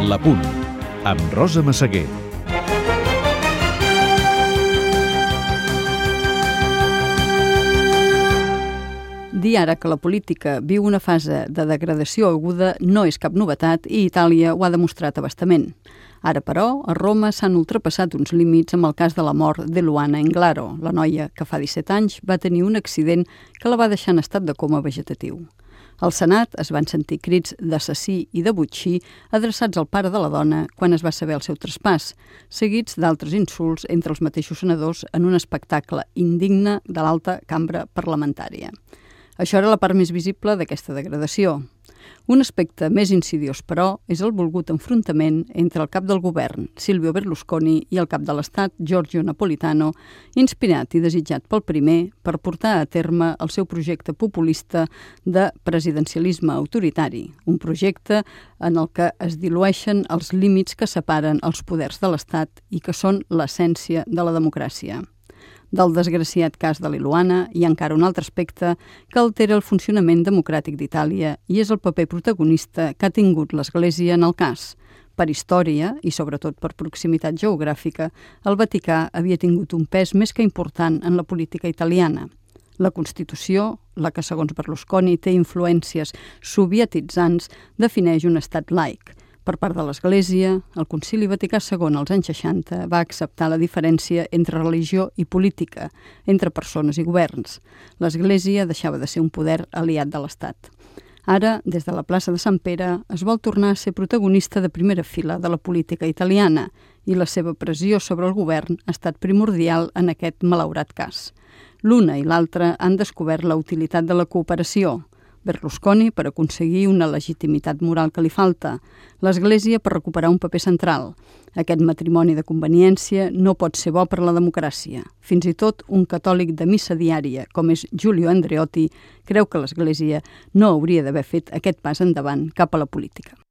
La Punt, amb Rosa Massaguer. Dir ara que la política viu una fase de degradació aguda no és cap novetat i Itàlia ho ha demostrat a bastament. Ara, però, a Roma s'han ultrapassat uns límits amb el cas de la mort de Luana Englaro, la noia que fa 17 anys va tenir un accident que la va deixar en estat de coma vegetatiu. Al Senat es van sentir crits d'assassí i de botxí adreçats al pare de la dona quan es va saber el seu traspàs, seguits d'altres insults entre els mateixos senadors en un espectacle indigne de l'alta cambra parlamentària. Això era la part més visible d'aquesta degradació. Un aspecte més insidiós, però, és el volgut enfrontament entre el cap del govern, Silvio Berlusconi, i el cap de l'Estat, Giorgio Napolitano, inspirat i desitjat pel primer per portar a terme el seu projecte populista de presidencialisme autoritari, un projecte en el que es dilueixen els límits que separen els poders de l'Estat i que són l'essència de la democràcia. Del desgraciat cas de Luana hi ha encara un altre aspecte que altera el funcionament democràtic d'Itàlia i és el paper protagonista que ha tingut l'Església en el cas. Per història i sobretot per proximitat geogràfica, el Vaticà havia tingut un pes més que important en la política italiana. La Constitució, la que segons Berlusconi té influències sovietitzants, defineix un estat laic. Per part de l'Església, el Concili Vaticà II als anys 60 va acceptar la diferència entre religió i política, entre persones i governs. L'Església deixava de ser un poder aliat de l'Estat. Ara, des de la plaça de Sant Pere, es vol tornar a ser protagonista de primera fila de la política italiana i la seva pressió sobre el govern ha estat primordial en aquest malaurat cas. L'una i l'altra han descobert la utilitat de la cooperació, Berlusconi per aconseguir una legitimitat moral que li falta, l'Església per recuperar un paper central. Aquest matrimoni de conveniència no pot ser bo per la democràcia. Fins i tot un catòlic de missa diària, com és Giulio Andreotti, creu que l'Església no hauria d'haver fet aquest pas endavant cap a la política.